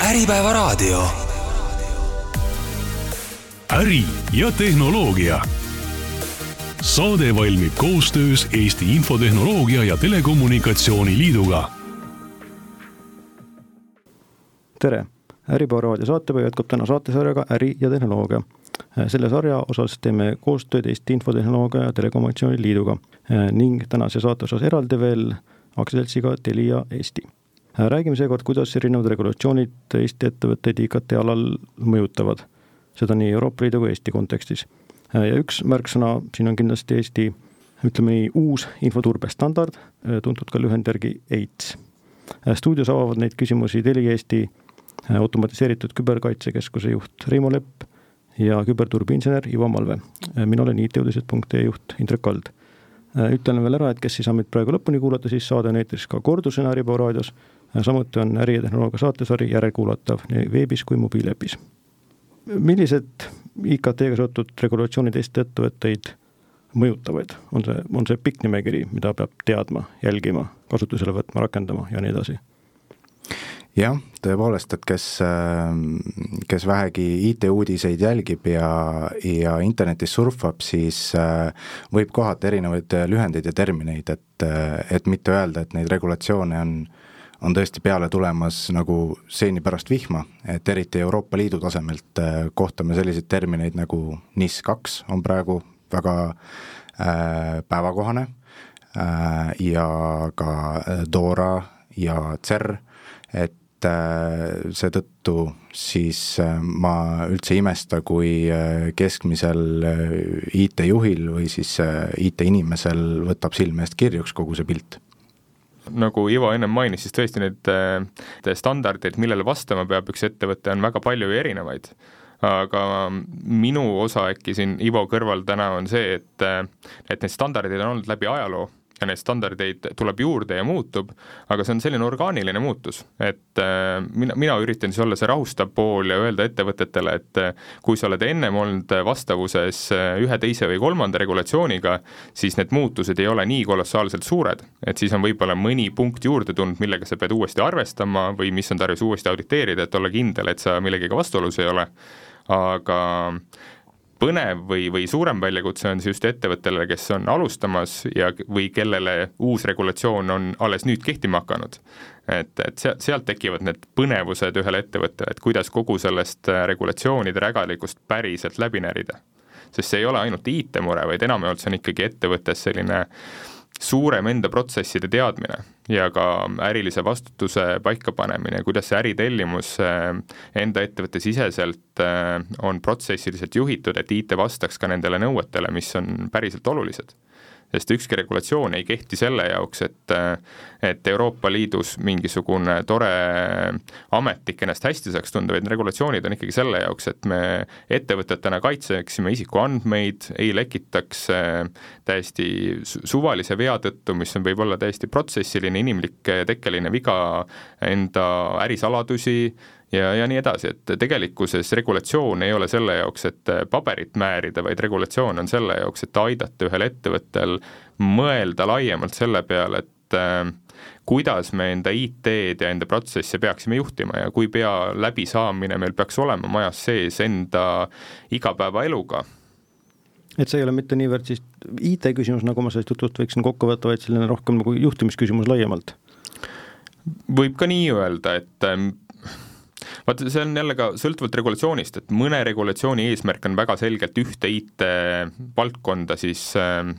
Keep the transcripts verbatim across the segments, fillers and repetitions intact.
Äripäeva raadio. Äri ja tehnoloogia. Saade valmib koostöös Eesti Infotehnoloogia ja Telekommunikatsiooni Liiduga. Tere! Äripäeva raadio saatepäev jätkub täna saatesarjaga Äri ja tehnoloogia. Selle sarja osas teeme koostööd Eesti Infotehnoloogia ja Telekommunikatsiooni Liiduga ning tänase saate osas eraldi veel aktsiaseltsiga Telia Eesti. Räägime seekord, kuidas erinevad regulatsioonid Eesti ettevõtteid I K T alal mõjutavad. Seda nii Euroopa Liidu kui Eesti kontekstis. Ja üks märksõna siin on kindlasti Eesti, ütleme nii, uus infoturbestandard, tuntud ka lühendjärgi E I T S. Stuudios avavad neid küsimusi Telia Eesti automatiseeritud küberkaitsekeskuse juht Reimo Lepp ja küberturbiinsener Ivo Malve. Mina olen I T-uudised punkt ee juht Indrek Kald. Ütlen veel ära, et kes ei saa meid praegu lõpuni kuulata, siis saade on eetris ka kordusena Äripäeva raadios. Samuti on Äri ja tehnoloogia saatesari järelkuulatav nii veebis kui mobiiläpis. Millised I K T-ga seotud regulatsioonid Eesti ettevõtteid mõjutavaid? On see, on see pikk nimekiri, mida peab teadma, jälgima, kasutusele võtma, rakendama ja nii edasi? Jah, tõepoolest, et kes, kes vähegi I T-uudiseid jälgib ja, ja internetis surfab, siis võib kohata erinevaid lühendeid ja termineid, et, et mitte öelda, et neid regulatsioone on, on tõesti peale tulemas nagu seeni pärast vihma, et eriti Euroopa Liidu tasemelt kohtame selliseid termineid nagu N I S kaks on praegu väga äh, päevakohane äh, ja ka DORA ja C E R, et see tõttu siis ma üldse imesta, kui keskmisel I T-juhil või siis I T-inimesel võtab silme eest kirjuks kogu see pilt. Nagu Ivo ennem mainis, siis tõesti need standardid, millele vastama peab üks ettevõte, on väga palju ja erinevaid. Aga minu osa äkki siin Ivo kõrval täna on see, et, et need standardid on olnud läbi ajaloo ja need standardeid tuleb juurde ja muutub, aga see on selline orgaaniline muutus, et äh, mina, mina üritan siis olla see rahustav pool ja öelda ettevõtetele, et äh, kui sa oled ennem olnud vastavuses ühe, teise või kolmanda regulatsiooniga, siis need muutused ei ole nii kolossaalselt suured, et siis on võib-olla mõni punkt juurde tulnud, millega sa pead uuesti arvestama või mis on tarvis uuesti auditeerida, et olla kindel, et sa millegiga vastuolus ei ole, aga põnev või, või suurem väljakutse on see just ettevõttele, kes on alustamas ja, või kellele uus regulatsioon on alles nüüd kehtima hakanud. Et, et sealt tekivad need põnevused ühele ettevõttele, et kuidas kogu sellest regulatsioonide rägalikust päriselt läbi närida. Sest see ei ole ainult I T-mure, vaid enamjaolt see on ikkagi ettevõttes selline suurem enda protsesside teadmine ja ka ärilise vastutuse paikapanemine, kuidas see äritellimus enda ettevõtte siseselt on protsessiliselt juhitud, et I T vastaks ka nendele nõuetele, mis on päriselt olulised. Sest ükski regulatsioon ei kehti selle jaoks, et, et Euroopa Liidus mingisugune tore ametnik ennast hästi saaks tunda, vaid regulatsioonid on ikkagi selle jaoks, et me ettevõtetena kaitseksime isiku andmeid, ei lekitaks täiesti suvalise vea tõttu, mis on võib-olla täiesti protsessiline, inimlik tekkeline viga, enda ärisaladusi, Ja, ja nii edasi, et tegelikkuses regulatsioon ei ole selle jaoks, et paberit määrida, vaid regulatsioon on selle jaoks, et aidata ühel ettevõttel mõelda laiemalt selle peale, et äh, kuidas me enda I T-d ja enda protsesse peaksime juhtima ja kui pea läbisaamine meil peaks olema majas sees enda igapäevaeluga. Et see ei ole mitte niivõrd siis I T-küsimus, nagu ma sellest jutust võiksin kokku võtta, vaid selline rohkem nagu juhtimisküsimus laiemalt. Võib ka nii öelda, et äh, vaat see on jälle ka sõltuvalt regulatsioonist, et mõne regulatsiooni eesmärk on väga selgelt ühte I T-valdkonda siis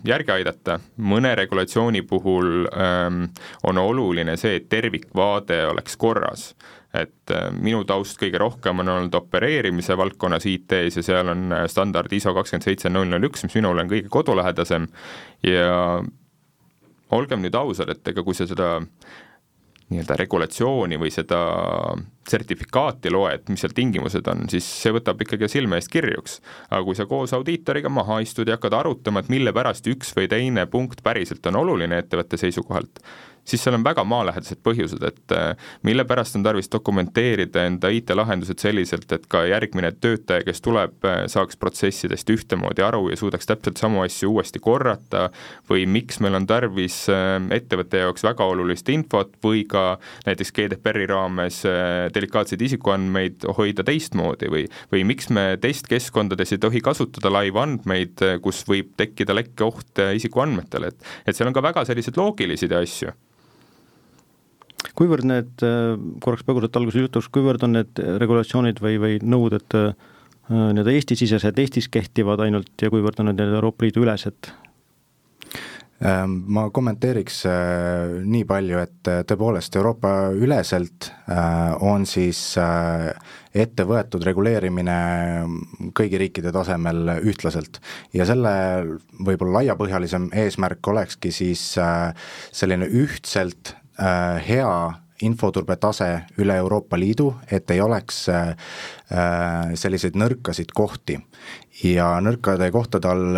järgi aidata. Mõne regulatsiooni puhul on oluline see, et tervikvaade oleks korras. Et minu taust kõige rohkem on olnud opereerimise valdkonnas I T-s ja seal on standard I S O kakskümmend seitse null null üks, mis minul on kõige kodulähedasem. Ja olgem nüüd ausad, et ega kui sa seda nii-öelda regulatsiooni või seda sertifikaati loed, mis seal tingimused on, siis see võtab ikkagi silme eest kirjuks. Aga kui sa koos audiitoriga maha istud ja hakkad arutama, et mille pärast üks või teine punkt päriselt on oluline ettevõtte seisukohalt, siis seal on väga maalähedased põhjused, et mille pärast on tarvis dokumenteerida enda I T-lahendused selliselt, et ka järgmine töötaja, kes tuleb, saaks protsessidest ühtemoodi aru ja suudaks täpselt samu asju uuesti korrata või miks meil on tarvis ettevõtte jaoks väga olulist infot või ka näiteks G D P R-i raames delikaatseid isikuandmeid hoida teistmoodi või, või miks me testkeskkondades ei tohi kasutada laivandmeid, kus võib tekkida lekkeoht isikuandmetele, et, et seal on ka väga sellised loogilised asju. Kuivõrd need, korraks põgusalt alguse jutuks, kuivõrd on need regulatsioonid või, või nõuded need Eesti-sisesed, Eestis kehtivad ainult ja kuivõrd on need Euroopa Liidu ülesed? Ma kommenteeriks nii palju, et tõepoolest Euroopa üleselt on siis ette võetud reguleerimine kõigi riikide tasemel ühtlaselt ja selle võib-olla laiapõhjalisem eesmärk olekski siis selline ühtselt hea infoturbe tase üle Euroopa Liidu, et ei oleks selliseid nõrkasid kohti ja nõrkade kohtade all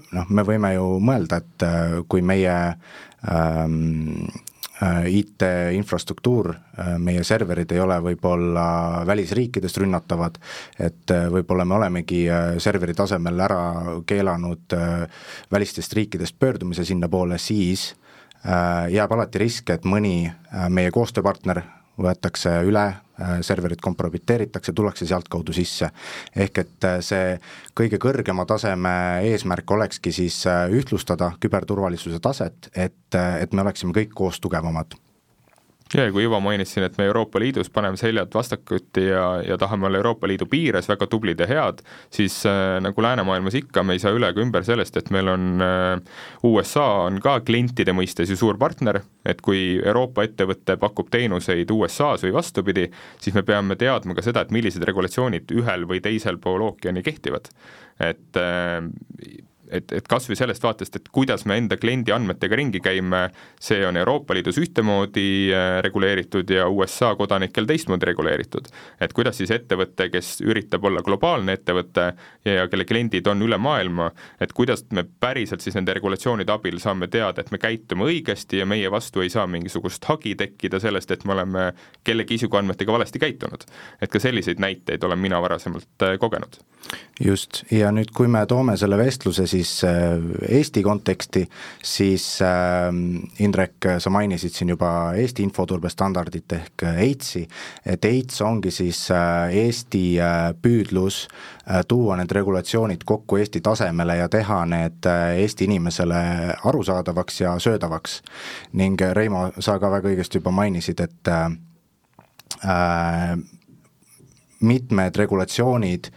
noh, me võime ju mõelda, et kui meie ähm, I T-infrastruktuur, meie serverid ei ole võib-olla välisriikidest rünnatavad, et võib-olla me olemegi serveri tasemel ära keelanud välistest riikidest pöördumise sinna poole, siis jääb alati risk, et mõni meie koostööpartner võetakse üle, serverid kompromiteeritakse, tullakse sealt kaudu sisse. Ehk et see kõige kõrgema taseme eesmärk olekski siis ühtlustada küberturvalisuse taset, et, et me oleksime kõik koos tugevamad. Ja kui juba mainisin, et me Euroopa Liidus paneme seljad vastakuti ja, ja tahame olla Euroopa Liidu piires väga tublid ja head, siis äh, nagu läänemaailmas ikka me ei saa üle ega ümber sellest, et meil on äh, U S A on ka klientide mõistes ju suur partner, et kui Euroopa ettevõte pakub teenuseid U S A-s või vastupidi, siis me peame teadma ka seda, et millised regulatsioonid ühel või teisel pool ookeani kehtivad. Et äh, et, et kas või sellest vaatest, et kuidas me enda kliendi andmetega ringi käime, see on Euroopa Liidus ühtemoodi reguleeritud ja U S A kodanikel teistmoodi reguleeritud. Et kuidas siis ettevõte, kes üritab olla globaalne ettevõte ja, ja kelle kliendid on üle maailma, et kuidas me päriselt siis nende regulatsioonide abil saame teada, et me käitume õigesti ja meie vastu ei saa mingisugust hagi tekkida sellest, et me oleme kellegi isikuandmetega valesti käitunud. Et ka selliseid näiteid olen mina varasemalt kogenud. Just, ja nüüd kui me toome selle vestluse siis Eesti konteksti, siis äh, Indrek, sa mainisid siin juba Eesti infoturbestandardit ehk EITS-i, et EITS ongi siis äh, Eesti äh, püüdlus äh, tuua need regulatsioonid kokku Eesti tasemele ja teha need äh, Eesti inimesele arusaadavaks ja söödavaks. Ning Reimo, sa ka väga õigesti juba mainisid, et äh, äh, mitmed regulatsioonid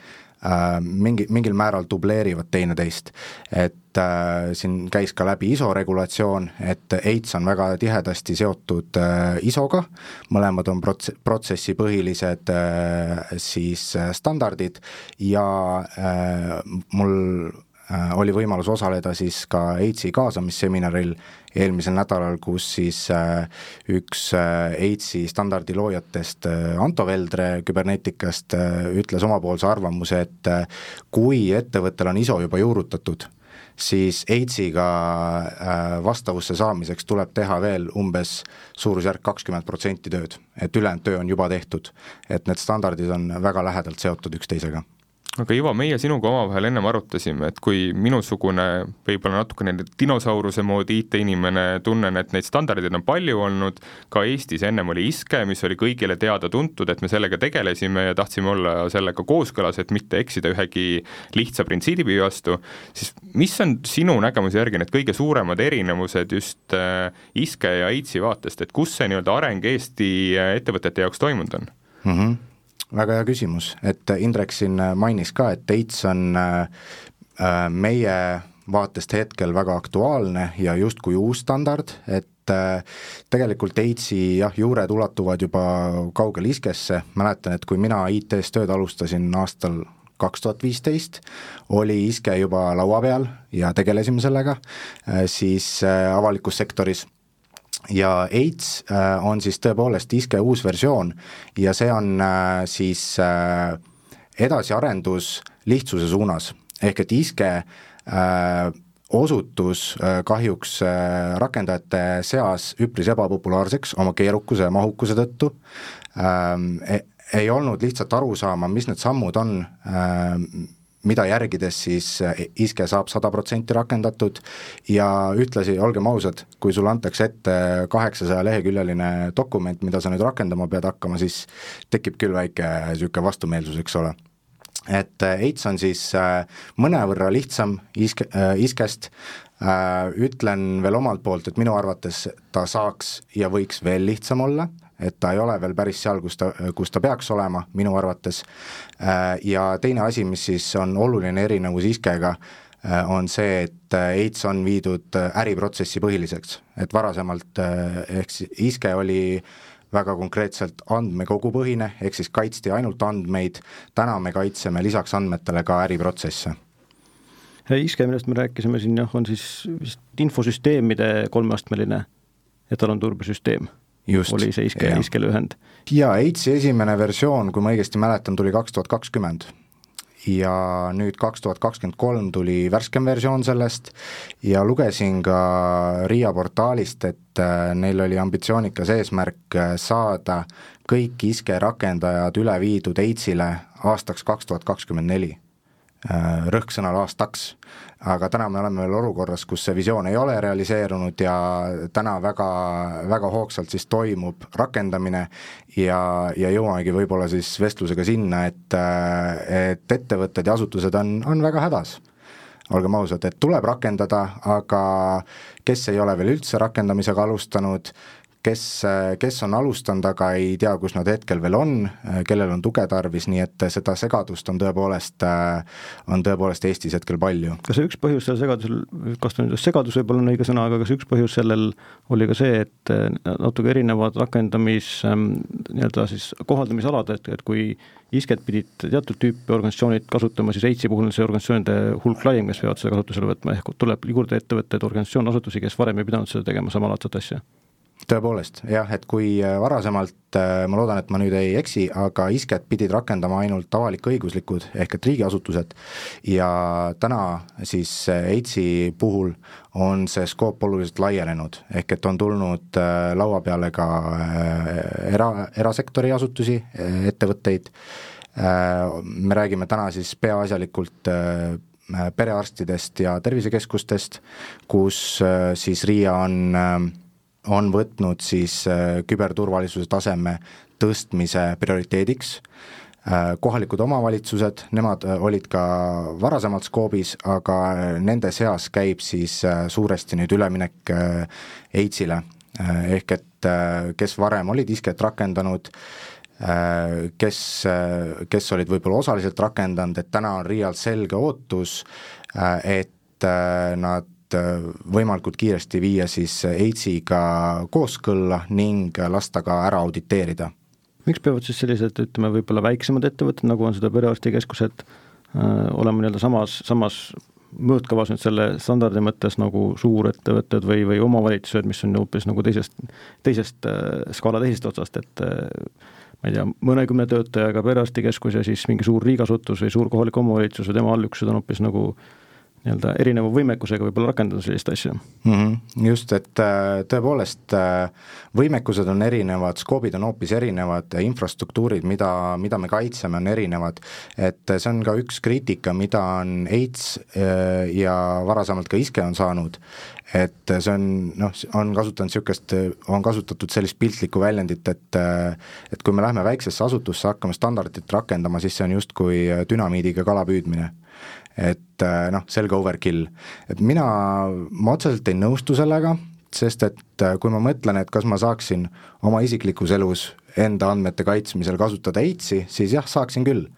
mingi, mingil määral dubleerivad teineteist, et äh, siin käis ka läbi I S O regulatsioon, et EITS on väga tihedasti seotud äh, I S O-ga, mõlemad on prots- protsessipõhilised äh, siis standardid ja äh, mul äh, oli võimalus osaleda siis ka EITS-i kaasamisseminaril eelmisel nädalal, kus siis äh, üks äh, EITS-i standardi loojatest äh, Anto Veldre Kyberneticast äh, ütles omapoolse arvamuse, et äh, kui ettevõttel on I S O juba juurutatud, siis EITS-iga äh, vastavusse saamiseks tuleb teha veel umbes suurusjärk kakskümmend protsenti tööd, et ülejäänud töö on juba tehtud, et need standardid on väga lähedalt seotud üksteisega. Aga Ivo, meie sinuga omavahel ennem arutasime, et kui minusugune võib-olla natukene dinosauruse moodi I T-inimene tunnen, et neid standardid on palju olnud, ka Eestis ennem oli ISKE, mis oli kõigile teada tuntud, et me sellega tegelesime ja tahtsime olla sellega kooskõlas, et mitte eksida ühegi lihtsa printsiibi vastu, siis mis on sinu nägemuse järgi need kõige suuremad erinevused just ISKE ja EITS-i vaatest, et kus see nii-öelda areng Eesti ettevõtete jaoks toimunud on? Mhm. Väga hea küsimus, et Indrek siin mainis ka, et EITS on meie vaatest hetkel väga aktuaalne ja justkui uus standard, et tegelikult EITS-i jah, juured ulatuvad juba kaugel ISKE-sse, mäletan, et kui mina I T-s tööd alustasin aastal kaks tuhat viisteist, oli ISKE juba laua peal ja tegelesime sellega, siis avalikus sektoris. Ja EITS on siis tõepoolest ISKE uus versioon ja see on siis edasiarendus lihtsuse suunas, ehk et ISKE osutus kahjuks rakendajate seas üpris ebapopulaarseks oma keerukuse ja mahukuse tõttu, ei olnud lihtsalt aru saama, mis need sammud on, mida järgides siis ISKE saab sada protsenti rakendatud ja ühtlasi, olgem ausad, kui sulle antakse ette kaheksasaja leheküljeline dokument, mida sa nüüd rakendama pead hakkama, siis tekib küll väike niisugune vastumeelsus, eks ole. Et EITS on siis mõnevõrra lihtsam ISKE, ISKEst, ütlen veel omalt poolt, et minu arvates ta saaks ja võiks veel lihtsam olla, et ta ei ole veel päris seal, kus ta, kus ta peaks olema, minu arvates. Ja teine asi, mis siis on oluline erinevus ISKEga, on see, et EITS on viidud äriprotsessi põhiliseks. Et varasemalt ehk ISKE oli väga konkreetselt andmekogu põhine, ehk siis kaitsti ainult andmeid, täna me kaitseme lisaks andmetele ka äriprotsesse. ISKE, millest me rääkisime siin, on siis vist infosüsteemide kolmeastmeline etalonturbesüsteem. Just, oli see ISKE, ISKE lühend. Ja EITSi esimene versioon, kui ma õigesti mäletan, tuli kaks tuhat kakskümmend ja nüüd kaks tuhat kakskümmend kolm tuli värskem versioon sellest ja lugesin ka RIA portaalist, et neil oli ambitsioonikas eesmärk saada kõik ISKE rakendajad üle viidud EITSile aastaks kaks tuhat kakskümmend neli. Rõhksõnal aastaks, aga täna me oleme veel olukorras, kus see visioon ei ole realiseerunud ja täna väga, väga hoogsalt siis toimub rakendamine ja, ja jõuamegi võib-olla siis vestlusega sinna, et, et ettevõtted ja asutused on, on väga hädas. Olgem ausad, et tuleb rakendada, aga kes ei ole veel üldse rakendamisega alustanud, kes, kes on alustanud, aga ei tea, kus nad hetkel veel on, kellel on tuge tarvis, nii et seda segadust on tõepoolest, on tõepoolest Eestis hetkel palju. Kas üks põhjus selle segadusel, kas ta nüüd segadus võib olla õige sõna, aga kas üks põhjus sellel oli ka see, et natuke erinevad rakendamis, nii-öelda siis kohaldamisalad, et, et kui ISKEt pidid teatud tüüpi organisatsioonid kasutama, siis EITSi puhul see organisatsioonide hulk laiem, kes peavad seda kasutusele võtma, ehk tuleb juurde ettevõtted, organisatsioon, asutusi, kes varem ei pidanud seda tegema samalaadset asja. Tõepoolest, jah, et kui varasemalt, ma loodan, et ma nüüd ei eksi, aga ISKEt pidid rakendama ainult avalik-õiguslikud ehk et riigiasutused ja täna siis EITSi puhul on see skoop oluliselt laienenud, ehk et on tulnud laua peale ka era, erasektori asutusi, ettevõtteid, me räägime täna siis peaasjalikult perearstidest ja tervisekeskustest, kus siis RIA on on võtnud siis küberturvalisuse taseme tõstmise prioriteediks. Kohalikud omavalitsused, nemad olid ka varasemalt skoobis, aga nende seas käib siis suuresti nüüd üleminek EITSile, ehk et kes varem olid ISKEt rakendanud, kes, kes olid võib-olla osaliselt rakendanud, et täna on RIA-l selge ootus, et nad võimalikult kiiresti viia siis EITSiga kooskõlla ning lasta ka ära auditeerida. Miks peavad siis sellised, ütleme, võib-olla väiksemad ettevõtted, nagu on seda perearstikeskused, olema nii-öelda samas, samas mõõtkavas nüüd selle standardi mõttes nagu suurettevõtted või, või omavalitsused, mis on hoopis nagu teisest, teisest skaala teisest otsast, et ma ei tea, mõnekümne töötajaga perearstikeskus ja siis mingi suur riigasutus või suur kohalik omavalitsus või tema allüksused on hoopis nagu nii-öelda erineva võimekusega võib-olla rakendada sellist asja. Mm-hmm. Just, et tõepoolest võimekused on erinevad, skoobid on hoopis erinevad, infrastruktuurid, mida, mida me kaitseme, on erinevad, et see on ka üks kriitika, mida on EITS ja varasemalt ka ISKE on saanud, et see on, noh, on kasutanud niisugust, on kasutatud sellist piltlikku väljendit, et, et kui me lähme väiksesse asutusse hakkame standardit rakendama, siis see on justkui dünamiidiga kala püüdmine. Et noh, selge overkill. Et mina, ma otseselt ei nõustu sellega, sest et kui ma mõtlen, et kas ma saaksin oma isiklikus elus enda andmete kaitsmisel kasutada EITSi, siis jah, saaksin küll.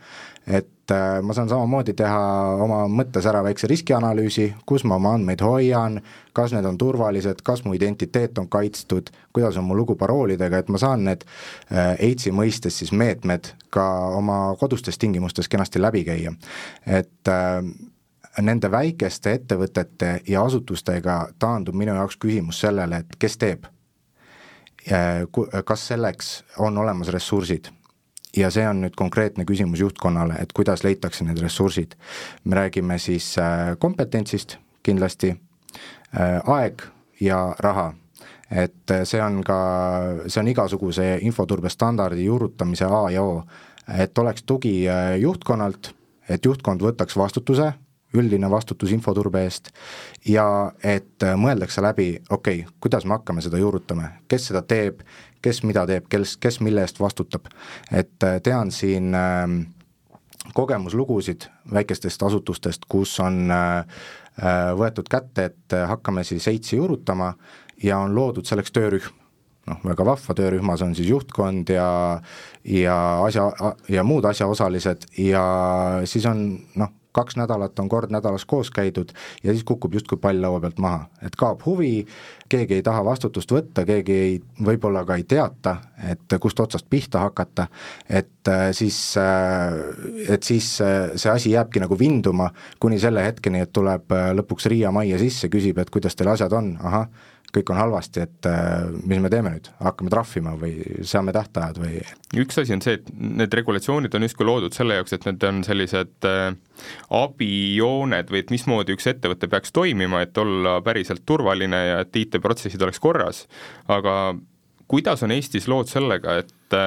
Et ma saan samamoodi teha oma mõttes ära väikse riskianalüüsi, kus ma oma andmeid hoian, kas need on turvalised, kas mu identiteet on kaitstud, kuidas on mu lugu paroolidega, et ma saan need EITSi mõistes siis meetmed ka oma kodustes tingimustes kenasti läbi käia. Et nende väikeste ettevõtete ja asutustega taandub minu jaoks küsimus sellele, et kes teeb, kas selleks on olemas ressursid. Ja see on nüüd konkreetne küsimus juhtkonnale, et kuidas leitakse need ressursid. Me räägime siis kompetentsist kindlasti, aeg ja raha. Et see on ka, see on igasuguse infoturbestandardi juurutamise A ja O, et oleks tugi juhtkonnalt, et juhtkond võtaks vastutuse, üldine vastutus infoturbe eest ja et mõeldakse läbi, okei, okay, kuidas me hakkame seda juurutama, kes seda teeb, kes mida teeb, kes, kes mille eest vastutab. Et tean siin äh, kogemuslugusid väikestest asutustest, kus on äh, võetud kätte, et hakkame siis eitsi juurutama ja on loodud selleks töörühm. Noh, väga vahva töörühmas on siis juhtkond ja, ja, asja, ja muud asjaosalised ja siis on noh, kaks nädalat on kord nädalas koos käidud ja siis kukub justkui pall laua pealt maha, et kaob huvi, keegi ei taha vastutust võtta, keegi ei, võib-olla ka ei teata, et kust otsast pihta hakata, et siis, et siis see asi jääbki nagu vinduma kuni selle hetkeni, et tuleb lõpuks Riia majja sisse, küsib, et kuidas teil asjad on, ahah, kõik on halvasti, et mis me teeme nüüd, hakkame trahvima või seame tähtajad või? Üks asi on see, et need regulatsioonid on justkui loodud selle jaoks, et need on sellised abijooned või et mismoodi üks ettevõte peaks toimima, et olla päriselt turvaline ja et I T-protsessid oleks korras, aga kuidas on Eestis lood sellega, et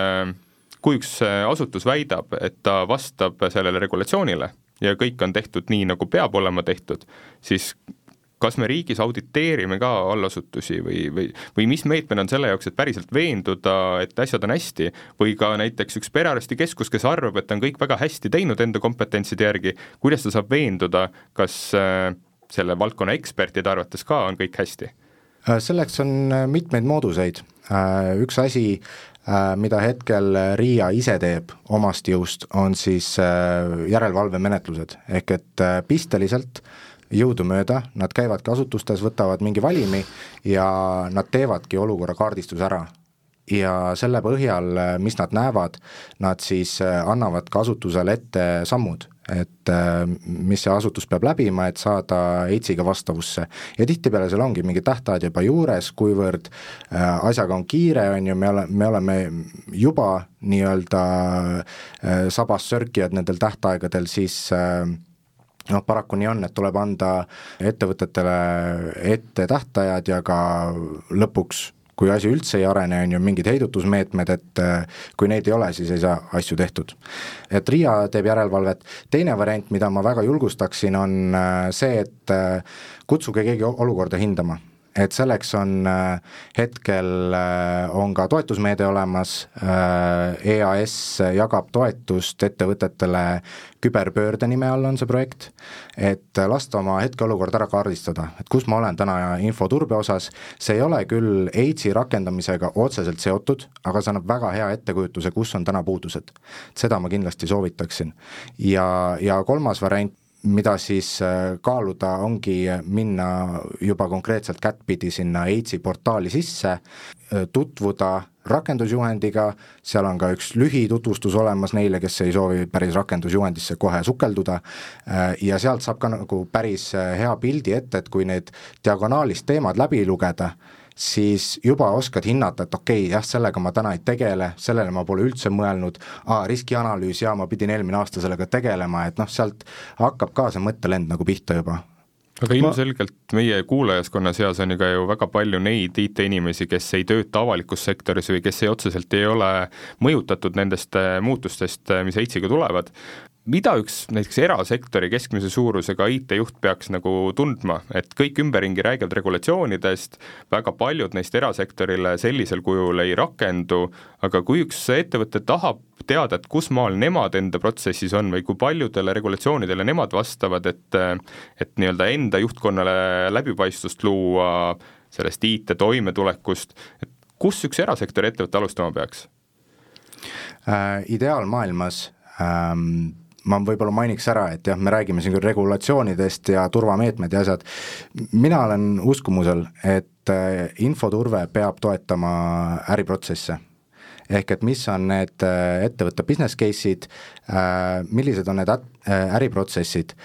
kui üks asutus väidab, et ta vastab sellele regulatsioonile ja kõik on tehtud nii, nagu peab olema tehtud, siis kas me riigis auditeerime ka allasutusi või, või, või mis meetmed on selle jaoks, et päriselt veenduda, et asjad on hästi, või ka näiteks üks perearstikeskus, kes arvab, et on kõik väga hästi teinud enda kompetentside järgi, kuidas ta saab veenduda, kas selle valdkonna ekspertide arvates ka on kõik hästi? Selleks on mitmeid mooduseid. Üks asi, mida hetkel Riia ise teeb omast jõust, on siis järelevalvemenetlused, ehk et pisteliselt jõudumööda, nad käivadki asutustes, võtavad mingi valimi ja nad teevadki olukorra kaardistus ära. Ja selle põhjal, mis nad näevad, nad siis annavad ka asutusele ette sammud, et mis see asutus peab läbima, et saada eitsiga vastavusse. Ja tihtipeale seal ongi mingi tähtajad juba juures, kuivõrd asjaga on kiire, on ju, me oleme, me oleme juba nii-öelda sabas sörkijad nendel tähtaegadel, siis noh, paraku nii on, et tuleb anda ettevõtetele ette tähtajad ja ka lõpuks, kui asi üldse ei arene, on ju mingid heidutusmeetmed, et kui neid ei ole, siis ei saa asju tehtud. Et Riia teeb järelevalvet. Teine variant, mida ma väga julgustaksin, on see, et kutsuge keegi olukorda hindama. Et selleks on hetkel on ka toetusmeede olemas, E A S jagab toetust ettevõtetele küberpöörde nime all on see projekt, et lasta oma hetkeolukord ära kaardistada, et kus ma olen täna infoturbe osas, see ei ole küll eitsi rakendamisega otseselt seotud, aga see annab väga hea ettekujutuse, kus on täna puudused. Seda ma kindlasti soovitaksin. Ja, ja kolmas variant, mida siis kaaluda ongi minna juba konkreetselt kättpidi sinna eitsi portaali sisse, tutvuda rakendusjuhendiga, seal on ka üks lühitutvustus olemas neile, kes ei soovi päris rakendusjuhendisse kohe sukelduda ja sealt saab ka nagu päris hea pildi ette, et kui need diagonaalist teemad läbi lugeda, siis juba oskad hinnata, et okei, okay, jah, sellega ma täna ei tegele, sellele ma pole üldse mõelnud, aa, riskianalüüs, ja ma pidin eelmine aasta sellega tegelema, et noh, sealt hakkab ka see mõttelend nagu pihta juba. Aga ilmselgelt meie kuulajaskonna seas on ju ka ju väga palju neid I T-inimesi, kes ei tööta avalikus sektoris või kes ei otseselt ei ole mõjutatud nendest muutustest, mis eitsiga tulevad. Mida üks näiteks erasektori keskmise suurusega I T-juht peaks nagu tundma, et kõik ümberringi räägivad regulatsioonidest, väga paljud neist erasektorile sellisel kujul ei rakendu, aga kui üks ettevõte tahab teada, et kus maal nemad enda protsessis on või kui paljudele regulatsioonidele nemad vastavad, et, et nii-öelda enda juhtkonnale läbipaistvust luua sellest I T toimetulekust, et kus üks erasektori ettevõte alustama peaks? Äh, ideaalmaailmas ähm ma võib-olla mainiks ära, et jah, me räägime siin küll regulatsioonidest ja turvameetmed ja asjad. Mina olen uskumusel, et infoturve peab toetama äriprotsesse. Ehk et mis on need ettevõtte business case'id, millised on need äriprotsessid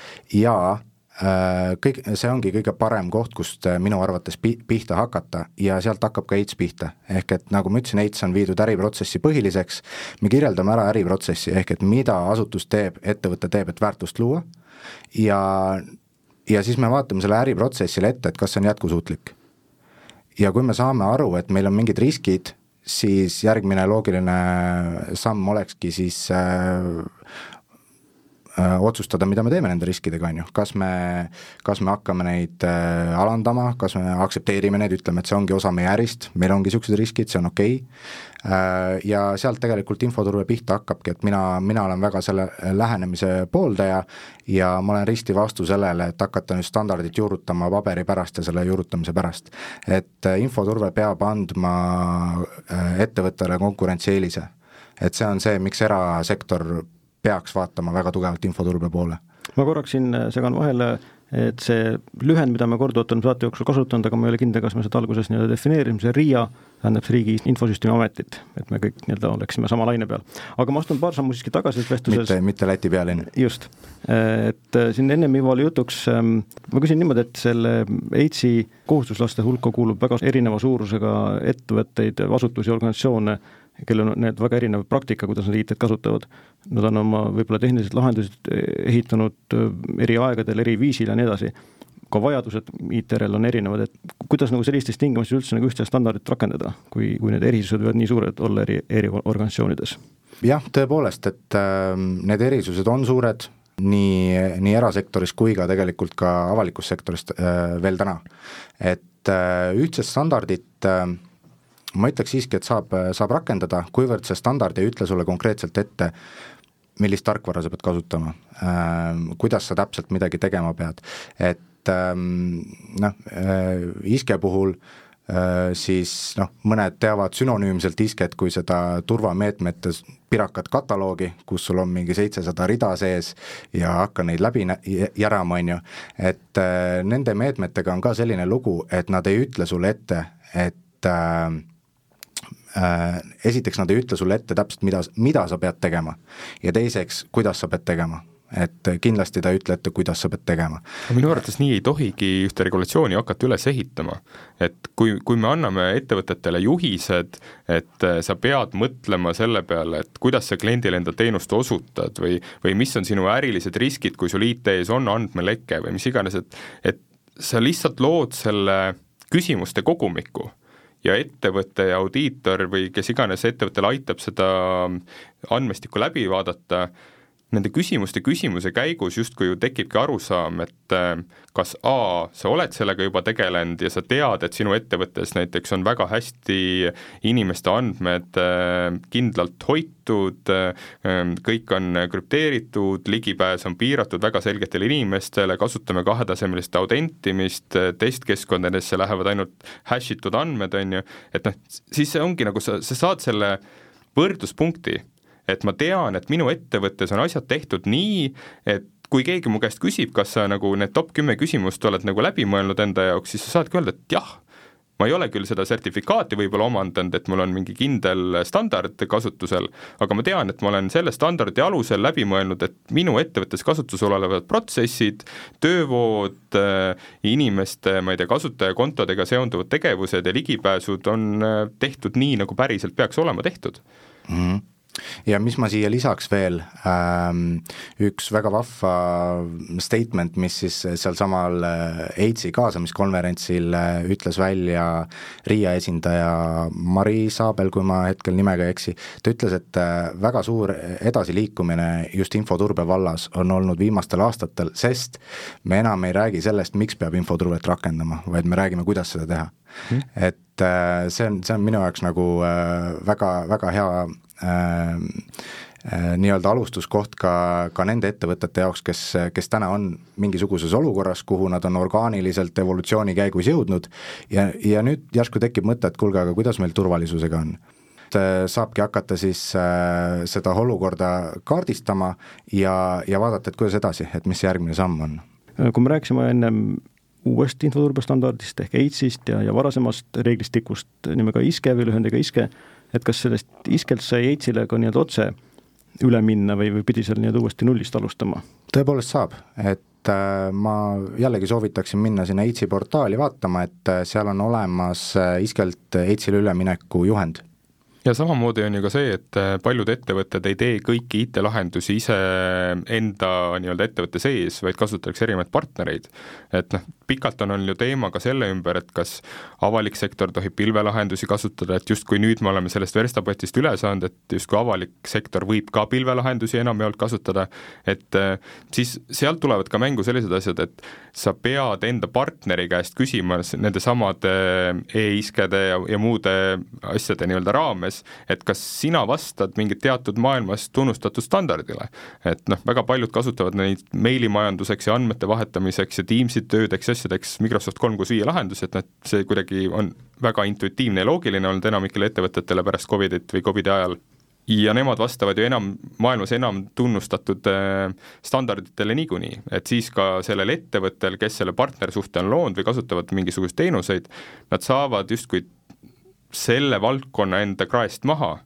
ja kõik, see ongi kõige parem koht, kust minu arvates pihta hakata ja sealt hakkab ka eits pihta. Ehk et nagu ma ütlesin, eits on viidud äriprotsessi põhiliseks, me kirjeldame ära äriprotsessi, ehk et mida asutus teeb, ettevõte teeb, et väärtust luua ja, ja siis me vaatame selle äriprotsessile ette, et kas see on jätkusuutlik. Ja kui me saame aru, et meil on mingid riskid, siis järgmine loogiline samm olekski siis äh, äh, otsustada, mida me teeme nende riskidega, on ju, kas me, kas me hakkame neid äh, alandama, kas me aktsepteerime neid, ütleme, et see ongi osa meie ärist, meil ongi niisugused riskid, see on okei okay. äh, ja sealt tegelikult infoturbe pihta hakkabki, et mina, mina olen väga selle lähenemise pooldaja ja ma olen risti vastu sellele, et hakata nüüd standardit juurutama paberi pärast ja selle juurutamise pärast. Et äh, infoturbe peab andma äh, ettevõttele konkurentsieelise, et see on see, miks erasektor peaks vaatama väga tugevalt infoturbe poole. Ma korraks siin segan vahele, et see lühend, mida me korduvalt on saate jooksul kasutanud, aga ma ei ole kindel, kas me seda alguses nii defineerime, see R I A tähendab see Riigi Infosüsteemi Ametit, et me kõik nii oleksime sama laine peal. Aga ma astun paar sammu siiski tagasi vestluses. Mitte, mitte Läti pealinn. Just. Et siin ennem Ivo oli jutuks, ma küsin niimoodi, et selle EITS-i kohustuslaste hulka kuulub väga erineva suurusega ettevõtteid, asutusi, organisatsioone, kellel on need väga erinev praktika, kuidas nad I T-d kasutavad. Nad on oma võib-olla tehnilised lahendused ehitanud eri aegadel, eri viisil ja nii edasi. Ka vajadused I T-rel on erinevad, et kuidas nagu sellistes tingimustes üldse nagu ühtse standardit rakendada, kui, kui need erisused võivad nii suured olla eri, eri organisatsioonides? Jah, tõepoolest, et äh, need erisused on suured nii, nii erasektoris kui ka tegelikult ka avalikus sektorist äh, veel täna. Et äh, ühtset standardit äh, ma ütleks siiski, et saab, saab rakendada, kuivõrd see standard ei ütle sulle konkreetselt ette, millist tarkvara sa pead kasutama, äh, kuidas sa täpselt midagi tegema pead. Et äh, noh, äh, iske puhul äh, siis noh, mõned teavad sünonüümselt isket kui seda turvameetmete pirakat kataloogi, kus sul on mingi seitsesada rida sees ja hakka neid läbi järama, on ju. Et äh, nende meetmetega on ka selline lugu, et nad ei ütle sulle ette, et äh, Äh, esiteks nad ei ütle sulle ette täpselt, mida, mida sa pead tegema ja teiseks, kuidas sa pead tegema. Et kindlasti ta ei ütle ette, kuidas sa pead tegema. Minu arvates nii ei tohigi ühte regulatsiooni hakata üles ehitama. Et kui, kui me anname ettevõtetele juhised, et sa pead mõtlema selle peale, et kuidas sa kliendile enda teenust osutad või, või mis on sinu ärilised riskid, kui sul I T-s on andmeleke või mis iganes, et, et sa lihtsalt lood selle küsimuste kogumiku ja ettevõtte ja audiitor või kes iganes ettevõttele aitab seda andmestikku läbi vaadata, nende küsimuste küsimuse käigus justkui ju tekibki arusaam, et kas A, sa oled sellega juba tegelenud ja sa tead, et sinu ettevõttes näiteks on väga hästi inimeste andmed kindlalt hoitud, kõik on krüpteeritud, ligipääs on piiratud väga selgetele inimestele, kasutame kahetasemelist autentimist, testkeskkondadesse lähevad ainult hashitud andmed, on ju, et noh, siis see ongi nagu sa, sa saad selle võrdluspunkti, et ma tean, et minu ettevõttes on asjad tehtud nii, et kui keegi mu käest küsib, kas sa nagu need top kümme küsimust oled nagu läbi mõelnud enda jaoks, siis sa saadki öelda, et jah, ma ei ole küll seda sertifikaati võib-olla omandanud, et mul on mingi kindel standard kasutusel, aga ma tean, et ma olen selle standardi alusel läbi mõelnud, et minu ettevõttes kasutusel olevad protsessid, töövood, inimeste, ma ei tea, kasutajakontodega seonduvad tegevused ja ligipääsud on tehtud nii, nagu päriselt peaks olema tehtud. Mhm. Ja mis ma siia lisaks veel, ähm, üks väga vahva statement, mis siis seal samal EITS-i kaasamiskonverentsil ütles välja R I A esindaja Mari Saabel, kui ma hetkel nimega ei eksi, ta ütles, et väga suur edasiliikumine just infoturbe vallas on olnud viimastel aastatel, sest me enam ei räägi sellest, miks peab infoturvet rakendama, vaid me räägime, kuidas seda teha. Hmm. Et see on, see on minu jaoks nagu väga, väga hea äh, äh, nii-öelda alustuskoht ka, ka nende ettevõtete jaoks, kes, kes täna on mingisuguses olukorras, kuhu nad on orgaaniliselt evolutsiooni käigus jõudnud ja, ja nüüd järsku tekib mõte, et kuulge, aga kuidas meil turvalisusega on? Saabki hakata siis äh, seda olukorda kaardistama ja, ja vaadata, et kuidas edasi, et mis järgmine samm on. Kui me rääksime ennem uuest infoturbestandardist ehk EITS-ist ja, ja varasemast reeglistikust nimega ISKE või lühendiga ISKE, et kas sellest ISKElt sai EITS-ile ka nii-öelda otse üle minna või, või pidi seal nii-öelda uuesti nullist alustama? Tõepoolest saab, et äh, ma jällegi soovitaksin minna sinna EITS-i portaali vaatama, et äh, seal on olemas äh, ISKElt EITS-ile ülemineku juhend. ja samamoodi on ju ka see, et paljud ettevõtted ei tee kõiki I T-lahendusi ise enda nii-öelda ettevõtte sees, vaid kasutatakse erinevaid partnereid. Et noh, pikalt on olnud ju teema ka selle ümber, et kas avalik sektor tohib pilvelahendusi kasutada, et just kui nüüd me oleme sellest verstapotist üle saanud, et just kui avalik sektor võib ka pilvelahendusi enamjaolt kasutada, et siis sealt tulevad ka mängu sellised asjad, et sa pead enda partneri käest küsima nende samade e-iskede ja, ja muude asjade nii-öelda raames, et kas sina vastad mingit teatud maailmas tunnustatud standardile. Et noh, väga paljud kasutavad neid meilimajanduseks ja andmete vahetamiseks ja Teamsid töödeks ja asjadeks Microsoft kolm kuus viis lahendus, et noh, see kuidagi on väga intuitiivne ja loogiline olnud enamikele ettevõtetele pärast Covidit või Covidi ajal. Ja nemad vastavad ju enam, maailmas enam tunnustatud standarditele niikuinii, et siis ka sellel ettevõttel, kes selle partnersuhte on loonud või kasutavad mingisugust teenuseid, nad saavad justkui selle valdkonna enda kraest maha,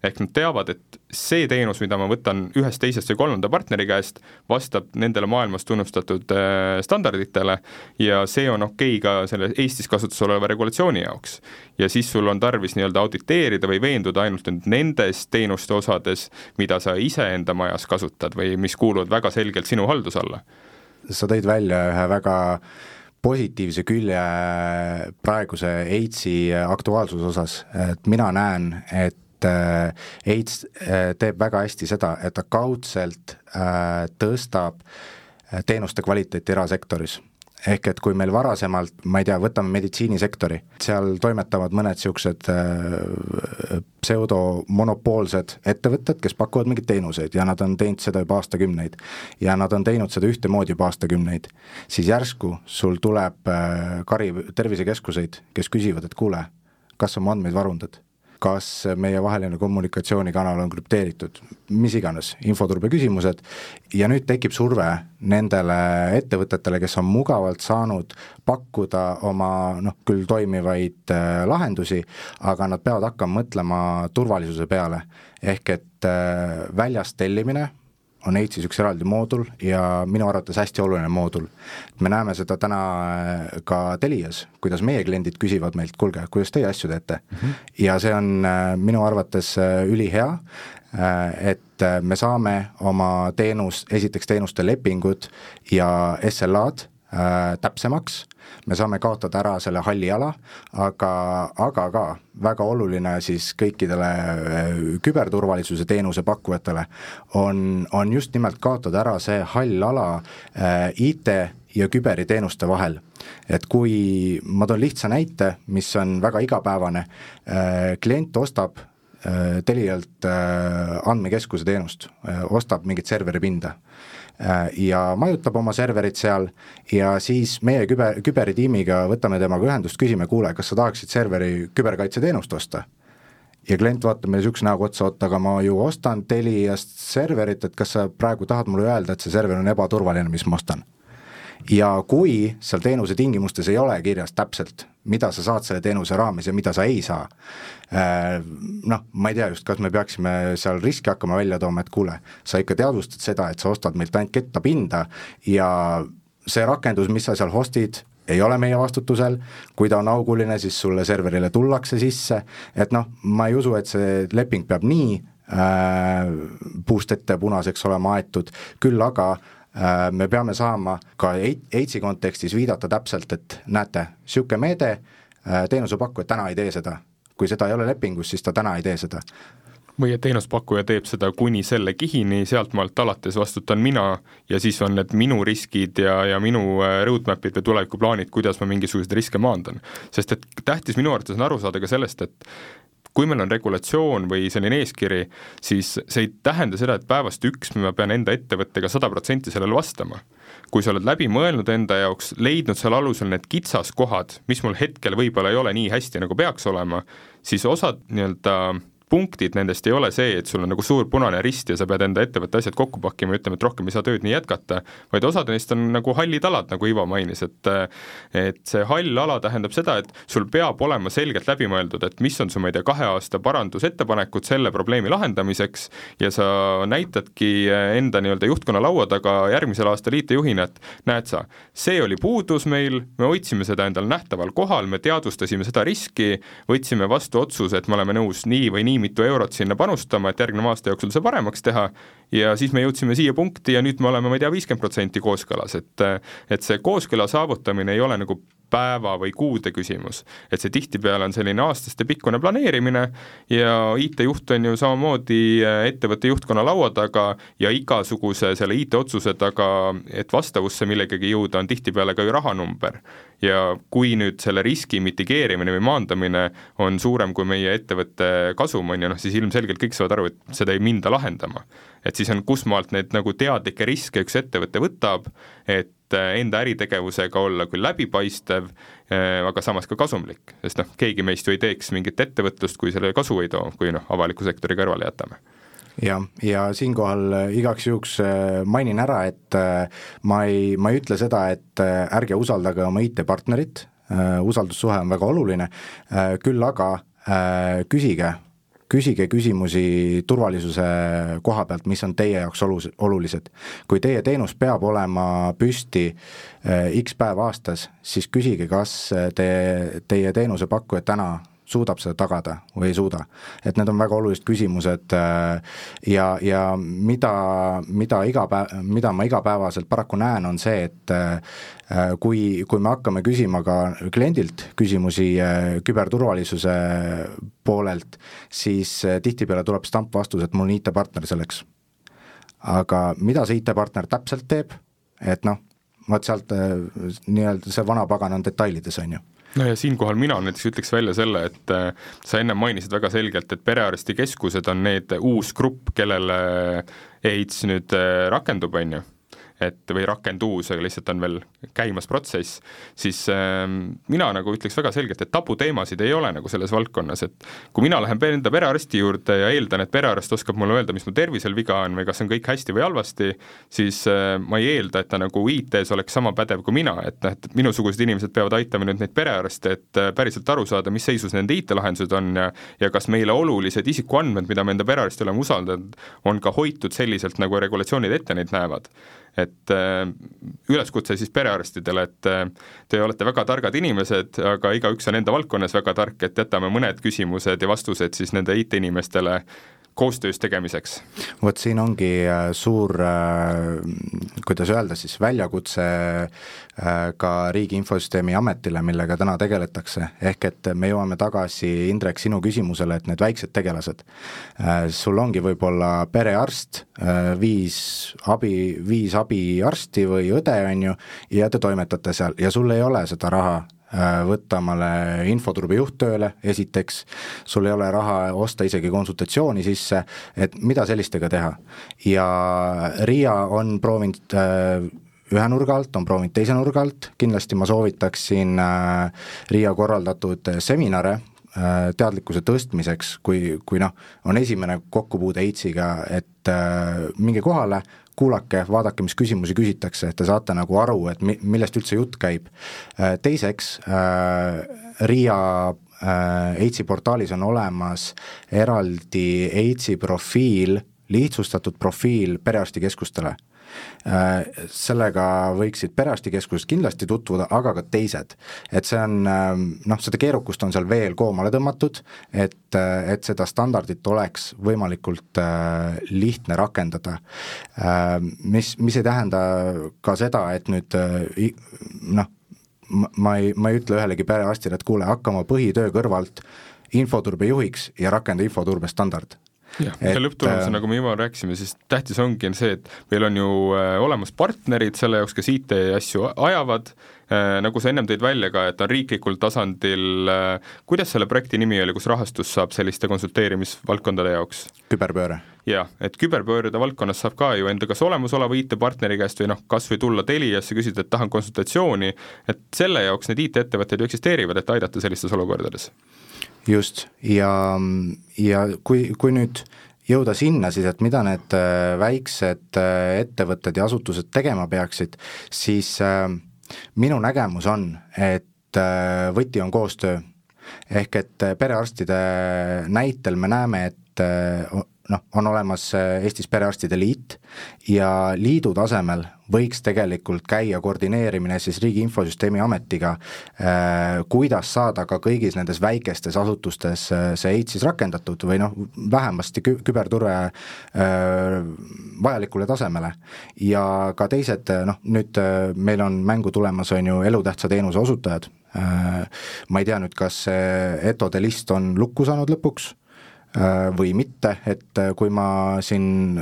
ehk nad teavad, et see teenus, mida ma võtan ühest teisest või kolmanda partneri käest, vastab nendele maailmas tunnustatud standarditele ja see on okei ka selle Eestis kasutusel oleva regulatsiooni jaoks. Ja siis sul on tarvis nii-öelda auditeerida või veenduda ainult nendes teenuste osades, mida sa ise enda majas kasutad või mis kuuluvad väga selgelt sinu haldus alla. Sa tõid välja ühe väga positiivse külje praeguse AIDS-i aktuaalsuse osas, et mina näen, et AIDS teeb väga hästi seda, et ta kaudselt tõstab teenuste kvaliteeti erasektoris. Ehk et kui meil varasemalt, ma ei tea, võtame meditsiinisektori, seal toimetavad mõned siuksed pseudomonopoolsed ettevõtted, kes pakuvad mingeid teenuseid ja nad on teinud seda juba aastakümneid ja nad on teinud seda ühtemoodi juba aastakümneid, siis järsku sul tuleb kari tervisekeskuseid, kes küsivad, et kuule, kas on andmeid varundad? Kas meie vaheline kommunikatsioonikanal on krüpteeritud, mis iganes, infoturbe küsimused ja nüüd tekib surve nendele ettevõtetele, kes on mugavalt saanud pakkuda oma noh, küll toimivaid äh, lahendusi, aga nad peavad hakkama mõtlema turvalisuse peale, ehk et äh, väljast tellimine on Eitsis üks eraldi moodul ja minu arvates hästi oluline moodul. Me näeme seda täna ka Telias, kuidas meie kliendid küsivad meilt, kuulge, kuidas teie asju teete? Mm-hmm. Ja see on minu arvates ülihea, et me saame oma teenus, esiteks teenuste lepingud ja S L A-d äh, täpsemaks, me saame kaotada ära selle halli ala, aga, aga ka väga oluline siis kõikidele küberturvalisuse teenuse pakkujatele on, on just nimelt kaotada ära see hall ala äh, I T ja küberiteenuste vahel. Et kui ma toon lihtsa näite, mis on väga igapäevane, äh, klient ostab äh, Telialt äh, andmekeskuse teenust, äh, ostab mingit serveripinda ja majutab oma serverit seal ja siis meie küber, küberitiimiga võtame temaga ühendust, küsime, kuule, kas sa tahaksid serveri küberkaitse teenust osta? Ja klient vaatab meile sükse näoga otsa, aga ma ju ostan Teliast serverit, et kas sa praegu tahad mulle öelda, et see server on ebaturvaline, mis ma ostan? Ja kui seal teenuse tingimustes ei ole kirjas täpselt, mida sa saad selle teenuse raames ja mida sa ei saa, noh, ma ei tea just, kas me peaksime seal riski hakkama välja tooma, et kuule, sa ikka teadvustad seda, et sa ostad meilt ainult kettapinda ja see rakendus, mis sa seal hostid, ei ole meie vastutusel, kui ta on auguline, siis sulle serverile tullakse sisse, et noh, ma ei usu, et see leping peab nii äh, puust ette punaseks olema aetud, küll aga me peame saama ka Eitsi kontekstis viidata täpselt, et näete, siuke meede, teenusepakkuja täna ei tee seda. Kui seda ei ole lepingus, siis ta täna ei tee seda. Või et teenuspakkuja teeb seda kuni selle kihini, sealt maalt alates vastutan mina ja siis on need minu riskid ja, ja minu roadmapid või tulevikuplaanid, kuidas ma mingisugused riske maandan. Sest et tähtis minu arvates on aru saada ka sellest, et kui meil on regulatsioon või selline eeskiri, siis see ei tähenda seda, et päevast üks ma pean enda ettevõttega sada protsenti sellele vastama. Kui sa oled läbi mõelnud enda jaoks, leidnud seal alusel need kitsaskohad, mis mul hetkel võib-olla ei ole nii hästi, nagu peaks olema, siis osad nii-öelda punktid nendest ei ole see, et sul on nagu suur punane rist ja sa pead enda ettevõtte asjad kokku pakkima ja ütlema, et rohkem ei saa tööd nii jätkata, vaid osad neist on nagu hallid alad, nagu Ivo mainis, et, et see hall ala tähendab seda, et sul peab olema selgelt läbi mõeldud, et mis on su, ma ei tea, kahe aasta parandusettepanekud selle probleemi lahendamiseks ja sa näitadki enda nii-öelda juhtkonna laua taga järgmisel aastal I T-juhina, et näed sa, see oli puudus meil, me hoidsime seda endal nähtaval kohal, me teadvustasime seda riski, võtsime vastu otsuse, et me oleme nõus nii või nii nii mitu eurot sinna panustama, et järgneva aasta jooksul see paremaks teha, ja siis me jõudsime siia punkti ja nüüd me oleme, ma ei tea, viiskümmend protsenti kooskõlas, et, et see kooskõla saavutamine ei ole nagu päeva või kuude küsimus, et see tihtipeale on selline aastaste pikkune planeerimine ja I T-juht on ju samamoodi ettevõtte juhtkonna laua taga ja igasuguse selle I T-otsuse taga, et vastavusse millegagi jõuda, on tihtipeale ka ju rahanumber. Ja kui nüüd selle riski mitigeerimine või maandamine on suurem kui meie ettevõtte kasum on, ja noh, siis ilmselgelt kõik saavad aru, et seda ei minda lahendama. Et siis on kusmaalt need nagu teadlikke riske üks ettevõtte võtab, et enda äritegevusega olla küll läbipaistev, aga samas ka kasumlik, sest noh, keegi meist ju ei teeks mingit ettevõtlust, kui selle kasu ei too, kui noh, avaliku sektori kõrvale jätame. Ja, ja siinkohal igaks juhuks mainin ära, et ma ei, ma ei ütle seda, et ärge usaldage oma I T-partnerit, usaldussuhe on väga oluline, küll aga küsige, küsige küsimusi turvalisuse koha pealt, mis on teie jaoks olulised. Kui teie teenus peab olema püsti X päev aastas, siis küsige, kas te, teie teenuse pakkuja täna suudab seda tagada või ei suuda. Et need on väga olulised küsimused ja, ja mida, mida, iga päev, mida ma igapäevaselt paraku näen, on see, et kui, kui me hakkame küsima ka kliendilt küsimusi küberturvalisuse poolelt, siis tihtipeale tuleb stampvastus, et mul on I T-partner selleks. Aga mida see I T-partner täpselt teeb, et noh, vaat sealt nii-öelda see vana pagan on detailides, on ju. No ja siinkohal mina näiteks ütleks välja selle, et sa enne mainisid väga selgelt, et perearstikeskused on need uus grupp, kellele AIDS nüüd rakendub, on ju, et või rakenduus, aga lihtsalt on veel käimas protsess, siis äh, mina nagu ütleks väga selgelt, et tabuteemasid ei ole nagu selles valdkonnas, et kui mina lähen enda perearsti juurde ja eeldan, et perearst oskab mulle öelda, mis mu tervisel viga on või kas on kõik hästi või halvasti, siis äh, ma ei eelda, et ta nagu I T-s oleks sama pädev kui mina, et, et minusugused inimesed peavad aitama nüüd neid perearste, et äh, päriselt aru saada, mis seisus nende I T-lahendused on ja, ja kas meile olulised isikuandmed, mida me enda perearsti oleme usaldanud, on ka hoitud selliselt, nagu regulatsioonid ette neid näevad. Et äh, üleskutse siis perearstidele, et äh, te olete väga targad inimesed, aga igaüks on enda valdkonnas väga tark, et jätame mõned küsimused ja vastused siis nende I T-inimestele koostöös tegemiseks. Vot siin ongi suur, kuidas öelda siis, väljakutse ka Riigi Infosüsteemi Ametile, millega täna tegeletakse, ehk et me jõuame tagasi, Indrek, sinu küsimusele, et need väiksed tegelased. Sul ongi võib-olla perearst, viis abi, viis abiarsti või õde, on ju, ja te toimetate seal ja sul ei ole seda raha võtta omale infoturbe juhttööle, esiteks, sul ei ole raha osta isegi konsultatsiooni sisse, et mida sellistega teha. Ja Riia on proovinud ühe nurga alt, on proovinud teise nurga alt, kindlasti ma soovitaksin Riia korraldatud seminare teadlikkuse tõstmiseks, kui, kui noh, on esimene kokkupuude AIDS-iga, et minge kohale, kuulake, vaadake, mis küsimusi küsitakse, et te saate nagu aru, et millest üldse jutt käib. Teiseks, Riia AIDS-i portaalis on olemas eraldi AIDS-i profiil, lihtsustatud profiil perearstikeskustele. Sellega võiksid perearstikeskused kindlasti tutvuda, aga ka teised. Et see on, noh, seda keerukust on seal veel koomale tõmmatud, et, et seda standardit oleks võimalikult lihtne rakendada. Mis, mis ei tähenda ka seda, et nüüd, noh, ma ei, ma ei ütle ühelegi perearstile, et kuule, hakkama põhitöö kõrvalt infoturbe juhiks ja rakenda infoturbe standard. jah, ja lõpptulemus, nagu me juba rääkisime, siis tähtis ongi see, et meil on ju olemas partnerid selle jaoks, kes I T asju ajavad, nagu sa ennem tõid välja ka, et on riiklikul tasandil, kuidas selle projekti nimi oli, kus rahastus saab selliste konsulteerimisvaldkondade jaoks? Küberpööre. Jah, et küberpööride valdkonnas saab ka ju enda kas olemusoleva I T-partneri käest või noh, kas või tulla Teliasse, küsida, et tahan konsultatsiooni, et selle jaoks need I T-ettevõtted ju eksisteerivad, et aidata sellistes olukordades. Just, ja, ja kui, kui nüüd jõuda sinna siis, et mida need väiksed ettevõtted ja asutused tegema peaksid, siis minu nägemus on, et võti on koostöö. Ehk et perearstide näitel me näeme, et noh, on olemas Eestis perearstide liit ja liidu tasemel võiks tegelikult käia koordineerimine siis Riigi Infosüsteemi Ametiga, kuidas saada ka kõigis nendes väikestes asutustes see AIDS-is rakendatud või noh, vähemasti küberturve vajalikule tasemele. Ja ka teised, noh, nüüd meil on mängu tulemas, on ju elutähtsa teenuse osutajad. Ma ei tea nüüd, kas etode list on lukku saanud lõpuks või mitte, et kui ma siin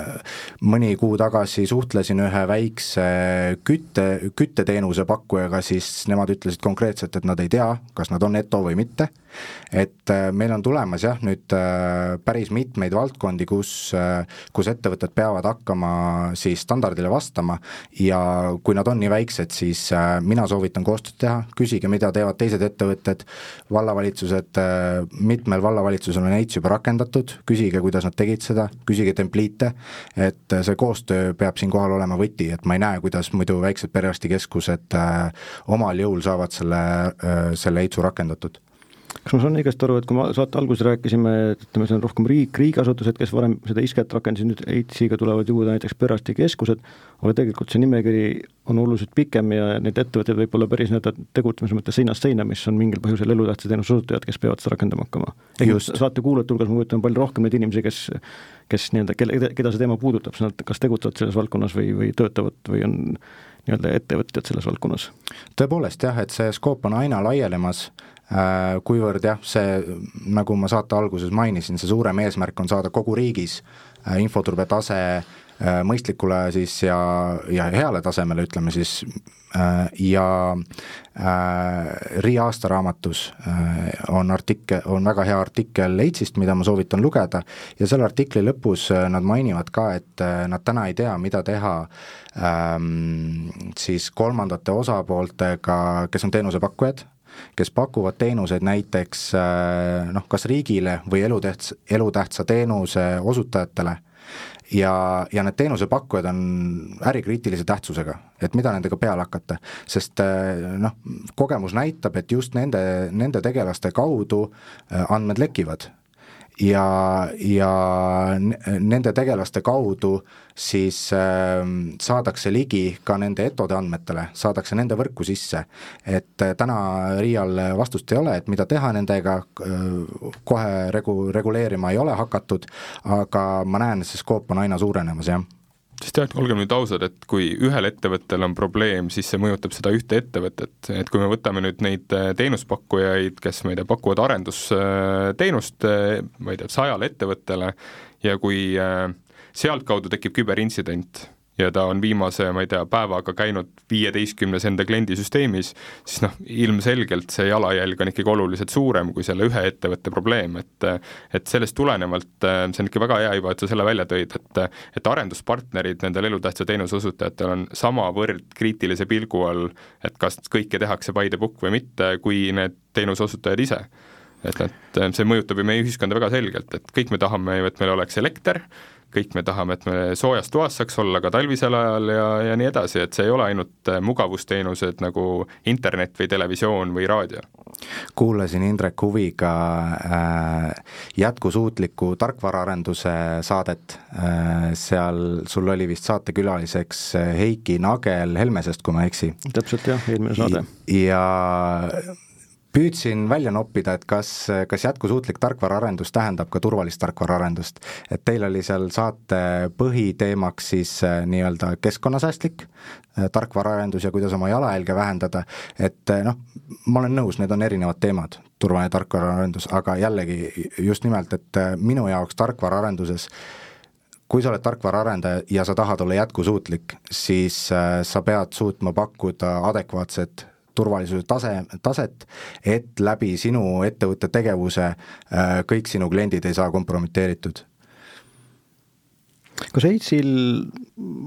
mõni kuu tagasi suhtlesin ühe väikse kütte, kütteteenuse pakkujaga, siis nemad ütlesid konkreetselt, et nad ei tea, kas nad on eto või mitte, et meil on tulemas jah, nüüd päris mitmeid valdkondi, kus, kus ettevõtted peavad hakkama siis standardile vastama ja kui nad on nii väiksed, siis mina soovitan koostööd teha, küsige, mida teevad teised ettevõtted, vallavalitsused, mitmel vallavalitsusel on AIDS juba rakendatud, küsige, kuidas nad tegid seda, küsige templiite, et see koostöö peab siin kohal olema võti, et ma ei näe, kuidas muidu väiksed perearstikeskused omal jõul saavad selle, selle AIDS-u rakendatud. Kas ma saan õigesti aru, et kui ma saate alguses rääkisime, et ütleme, see on rohkem riik, riigiasutused, kes varem seda isket rakendasid, nüüd AIDS-iga tulevad juurde näiteks perearstikeskused, aga tegelikult see nimekiri on oluliselt pikem ja need ettevõtted võib olla päris need tegutsemise mõttes seinast seina, mis on mingil põhjusel elutähtsa teenuse osutajad, kes peavad seda rakendama hakkama. Saate kuulajate hulgas, ma kujutan palju rohkem neid inimesi, kes, kes nii-öelda, kelle, keda see teema puudutab, nad kas tegutsevad selles valdkonnas või, või töötavad või on nii-öelda ettevõtjad selles valdkonnas? Tõepoolest jah, et see skoop on aina laienemas, kuivõrd jah, see, nagu ma saate alguses mainisin, see suurem eesmärk on saada kogu riigis infoturbe tase mõistlikule siis ja, ja heale tasemele, ütleme siis, ja R I A aastaraamatus on artikkel, on väga hea artikkel AIDS-ist, mida ma soovitan lugeda ja selle artikli lõpus nad mainivad ka, et nad täna ei tea, mida teha ähm, siis kolmandate osapooltega, kes on teenusepakkujad, kes pakuvad teenuseid näiteks noh, kas riigile või elutähtsa, elutähtsa teenuse osutajatele ja, ja need teenusepakkujad on ärikriitilise tähtsusega, et mida nendega peale hakata, sest noh, kogemus näitab, et just nende, nende tegelaste kaudu andmed lekivad ja, ja nende tegelaste kaudu siis äh, saadakse ligi ka nende etode andmetele, saadakse nende võrku sisse, et äh, täna R I A-l vastust ei ole, et mida teha nendega, äh, kohe regu-, reguleerima ei ole hakatud, aga ma näen, et see skoop on aina suurenemas, jah. Sest jah, olgem nüüd ausad, et kui ühel ettevõttel on probleem, siis see mõjutab seda ühte ettevõtet, et kui me võtame nüüd neid teenuspakkujaid, kes ma ei tea, pakuvad arendusteenust, ma ei tea, sajale ettevõttele ja kui sealtkaudu tekib küberintsident ja ta on viimase, ma ei tea, päevaga käinud viieteistkümnes enda kliendisüsteemis, siis noh, ilmselgelt see jalajälg on ikkagi oluliselt suurem kui selle ühe ettevõtte probleem, et et sellest tulenevalt, see on ikka väga hea juba, et sa selle välja tõid, et et arenduspartnerid nendel elutähtsa teenuse osutajatel on samavõrd kriitilise pilgu all, et kas kõike tehakse by the book või mitte, kui need teenuse osutajad ise. Et, et see mõjutab ju meie ühiskonda väga selgelt, et kõik me tahame, et meil oleks elekter, kõik me tahame, et me soojas toas saaks olla ka talvisel ajal ja, ja nii edasi, et see ei ole ainult mugavusteenused nagu internet või televisioon või raadio. Kuulasin Indrek huviga äh, jätkusuutliku tarkvaraarenduse saadet, äh, seal sul oli vist saatekülaliseks Heiki Nagel Helmesest, kui ma eksi. Täpselt jah, eelmine saade. Ja püüdsin välja noppida, et kas, kas jätkusuutlik tarkvaraarendus tähendab ka turvalist tarkvaraarendust. Et teil oli seal saate põhiteemaks siis nii-öelda keskkonnasäästlik tarkvaraarendus ja kuidas oma jalajälge vähendada, et noh, ma olen nõus, need on erinevad teemad, turvaline tarkvaraarendus, aga jällegi just nimelt, et minu jaoks tarkvaraarenduses kui sa oled tarkvaraarendaja ja sa tahad olla jätkusuutlik, siis sa pead suutma pakkuda adekvaatset turvalisuse tase, taset, et läbi sinu ettevõtte tegevuse kõik sinu kliendid ei saa kompromiteeritud. Kas AIDS-il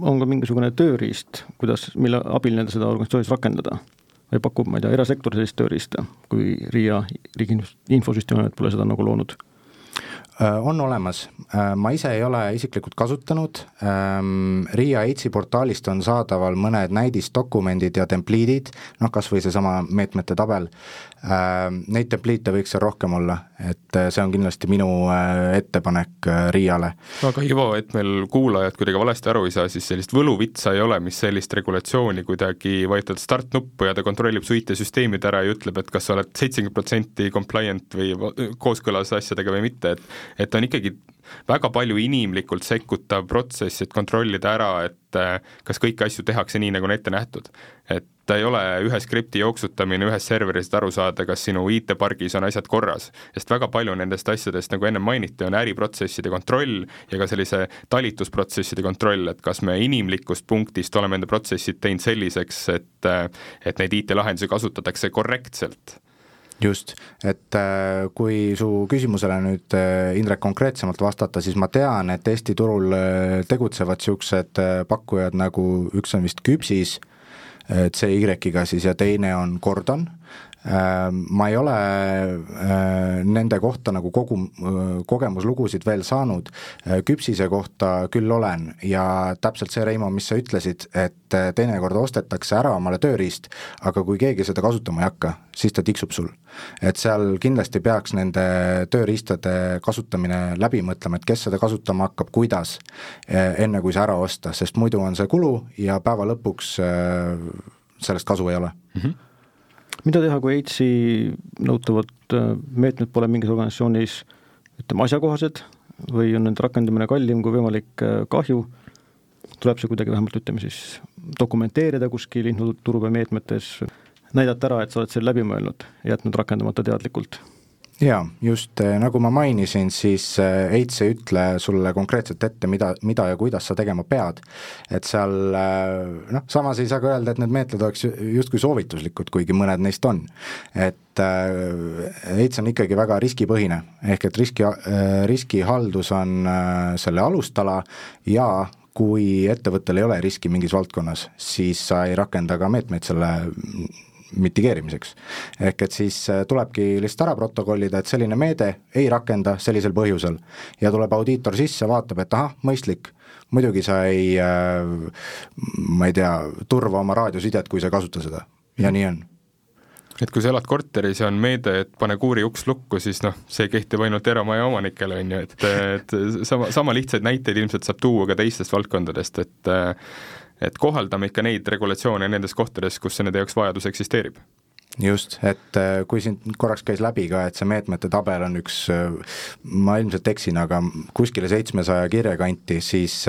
on ka mingisugune tööriist, kuidas, mille abil nende seda organisatsioonis rakendada? Või pakub, ma ei tea, erasektor sellist tööriista, kui R I A, Riigi Infosüsteemi pole seda nagu loonud? On olemas, ma ise ei ole isiklikult kasutanud, RIA EITS-i portaalist on saadaval mõned näidisdokumendid ja templiidid, noh kas või see sama meetmete tabel, neid templiite võiks seal rohkem olla, et see on kindlasti minu ettepanek RIA-le. Aga Ivo, et meil kuulajad kuidagi valesti aru ei saa, siis sellist võluvitsa ei ole, mis sellist regulatsiooni kuidagi vajutad start-nuppu ja ta kontrollib su I T-süsteemid ära ja ütleb, et kas sa oled seitsekümmend protsenti compliant või kooskõlas asjadega või mitte, et et on ikkagi väga palju inimlikult sekkutav protsess, et kontrollida ära, et kas kõiki asju tehakse nii, nagu on ette nähtud. Et ta ei ole ühe skripti jooksutamine ühes serveris, et aru saada, kas sinu I T-pargis on asjad korras. Sest väga palju nendest asjadest, nagu enne mainiti, on äriprotsesside kontroll ja ka sellise talitusprotsesside kontroll, et kas me inimlikust punktist oleme enda protsessid teinud selliseks, et, et neid I T-lahendusi kasutatakse korrektselt. Just, et kui su küsimusele nüüd Indrek konkreetsemalt vastata, siis ma tean, et Eesti turul tegutsevad siuksed pakkujad nagu üks on vist Küpsis, C Y-ga siis ja teine on Gordon. Ma ei ole nende kohta nagu kogu kogemuslugusid veel saanud, Küpsise kohta küll olen ja täpselt see, Reimo, mis sa ütlesid, et teinekord ostetakse ära omale tööriist, aga kui keegi seda kasutama ei hakka, siis ta tiksub sul. Et seal kindlasti peaks nende tööriistade kasutamine läbi mõtlema, et kes seda kasutama hakkab, kuidas, enne kui see ära osta, sest muidu on see kulu ja päeva lõpuks sellest kasu ei ole. Mm-hmm. Mida teha, kui EITS-i nõutavad meetmed pole mingis organisatsioonis ütleme, asjakohased või on nende rakendamine kallim kui võimalik kahju, tuleb see kuidagi vähemalt ütleme siis dokumenteerida kuskil infoturbe meetmetes, näidata ära, et sa oled selle läbi mõelnud, jätnud rakendamata teadlikult? Jaa, just nagu ma mainisin, siis EITS ei ütle sulle konkreetselt ette, mida, mida ja kuidas sa tegema pead. Et seal, noh, samas ei saa ka öelda, et need meetmed oleks justkui soovituslikud, kuigi mõned neist on. Et EITS on ikkagi väga riskipõhine, ehk et riski, riskihaldus on selle alustala ja kui ettevõttel ei ole riski mingis valdkonnas, siis sa ei rakenda ka meetmeid selle mitigeerimiseks. Ehk et siis tulebki lihtsalt ära protokollida, et selline meede ei rakenda sellisel põhjusel ja tuleb audiitor sisse, vaatab, et aha, mõistlik, muidugi sa ei, ma ei tea, turva oma raadiosidet, kui sa kasuta seda ja nii on. Et kui sa elad korteris ja on meede, et pane kuuri uks lukku, siis noh, see kehtib ainult eramaja omanikele, on ju, et, et sama, sama lihtsaid näiteid ilmselt saab tuua ka teistest valdkondadest, et et kohaldame ikka neid regulatsioone nendes kohtades, kus see nende jaoks vajadus eksisteerib. Just, et kui siin korraks käis läbi ka, et see meetmete tabel on üks, ma ilmselt eksin, aga kuskile seitsmesaja kirja kanti, siis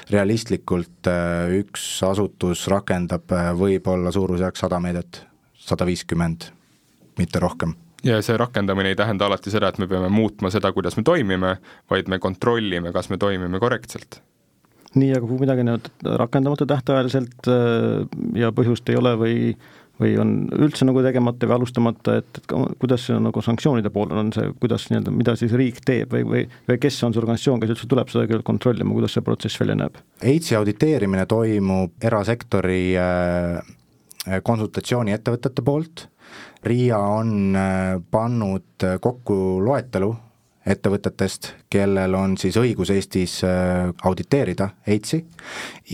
realistlikult üks asutus rakendab võib-olla suurusjärk sada meedet, sada viiskümmend, mitte rohkem. Ja see rakendamine ei tähenda alati seda, et me peame muutma seda, kuidas me toimime, vaid me kontrollime, kas me toimime korrektselt. Nii, aga kui midagi rakendamata tähtajaliselt ja põhjust ei ole või, või on üldse nagu tegemata või alustamata, et, et kuidas see on nagu sanktsioonide pool on see, kuidas nii-öelda, mida siis riik teeb või, või, või kes on see organisatsioon, kes üldse tuleb seda kontrollima, kuidas see protsess välja näeb? EITS-i auditeerimine toimub erasektori konsultatsiooni ettevõtete poolt. RIA on pannud kokku loetelu ettevõtetest, kellel on siis õigus Eestis auditeerida EITS-i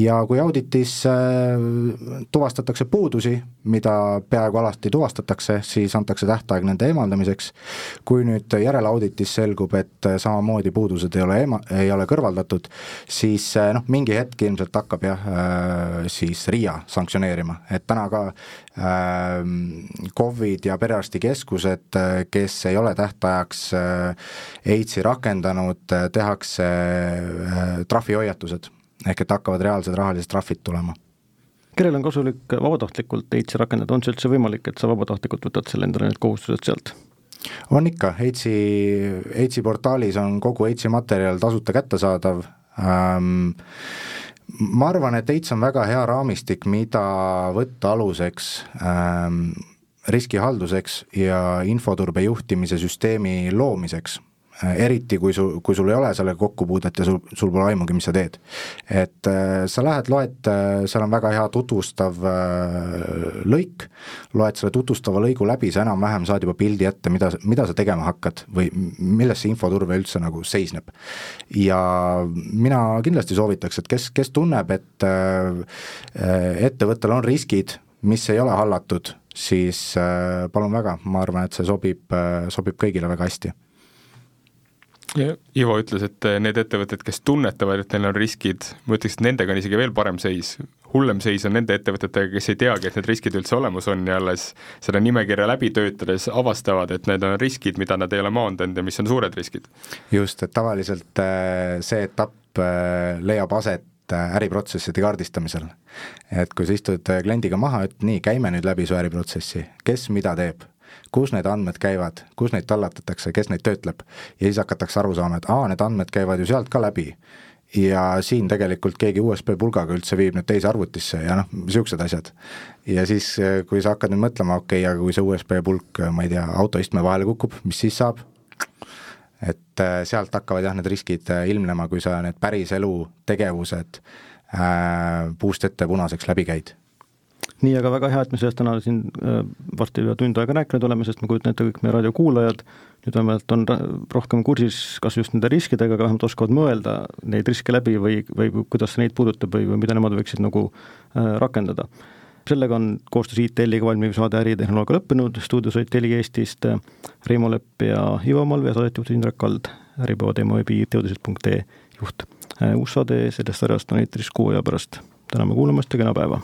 ja kui auditis tuvastatakse puudusi, mida peaaegu alati tuvastatakse, siis antakse tähtaeg nende eemaldamiseks. Kui nüüd järelauditis selgub, et samamoodi puudused ei ole, eema, ei ole kõrvaldatud, siis noh, mingi hetk ilmselt hakkab jah, siis RIA sanktsioneerima, et täna ka COVID ja perearstikeskused, kes ei ole tähtajaks EITS-i rakendanud, tehakse trahvihoiatused, ehk et hakkavad reaalsed rahalised trahvid tulema. Kellel on kasulik vabatahtlikult EITS-i rakendada, on see üldse võimalik, et sa vabatahtlikult võtad selle endale need kohustused sealt? On ikka, EITS-i, EITS-i portaalis on kogu EITS-i materjal tasuta kättesaadav. Ähm, ma arvan, et EITS on väga hea raamistik, mida võtta aluseks ähm, riskihalduseks ja infoturbe juhtimise süsteemi loomiseks. eriti kui, su, kui sul ei ole selle kokkupuudet ja sul, sul pole aimugi, mis sa teed. Et äh, sa lähed, loed, äh, seal on väga hea tutvustav äh, lõik, loed selle tutvustava lõigu läbi, sa enam-vähem saad juba pildi ette, mida, mida sa tegema hakkad või milles see infoturve üldse nagu seisneb. Ja mina kindlasti soovitaks, et kes, kes tunneb, et äh, ettevõttel on riskid, mis ei ole hallatud, siis äh, palun väga, ma arvan, et see sobib, äh, sobib kõigile väga hästi. Ivo ütles, et need ettevõtted, kes tunnetavad, et neil on riskid, ma ütleks, et nendega on isegi veel parem seis. Hullem seis on nende ettevõtetega, kes ei teagi, et need riskid üldse olemas on ja alles seda nimekirja läbi töötades avastavad, et need on riskid, mida nad ei ole maandanud ja mis on suured riskid. Just, et tavaliselt see etapp leiab aset äriprotsesside kaardistamisel. Et kui sa istud kliendiga maha, et nii, käime nüüd läbi su äriprotsessi, kes mida teeb, kus need andmed käivad, kus neid tallatatakse, kes neid töötleb ja siis hakatakse aru saama, et aa, need andmed käivad ju sealt ka läbi ja siin tegelikult keegi U S B pulgaga üldse viib need teise arvutisse ja noh, siuksed asjad. Ja siis, kui sa hakkad nüüd mõtlema, okei, okay, aga kui see U S B pulk, ma ei tea, autoistme vahele kukub, mis siis saab? Et sealt hakkavad jah need riskid ilmnema, kui sa need päris elu tegevused äh, puust ette punaseks läbi käid. Nii, aga väga hea, et me sellest täna siin varsti juba tund aega rääkinud oleme, sest ma kujutan ette kõik meie raadiokuulajad nüüd vähemalt on rohkem kursis kas just nende riskidega, aga vähemalt oskavad mõelda neid riske läbi või, või kuidas neid puudutab või, või mida nemad võiksid nagu äh, rakendada. Sellega on koostöös I T L-iga valmiv saade Äritehnoloogia lõppenud, stuudios olid Teli Eestist Reimo Lepp ja Ivo Malv ja saadet Indrek Kald, Äripäeva teema veebi teadused punkt ee juht. Uus saade sellest sarjast on eetris kuu aja pärast. Täname kuulamast ja kena päeva!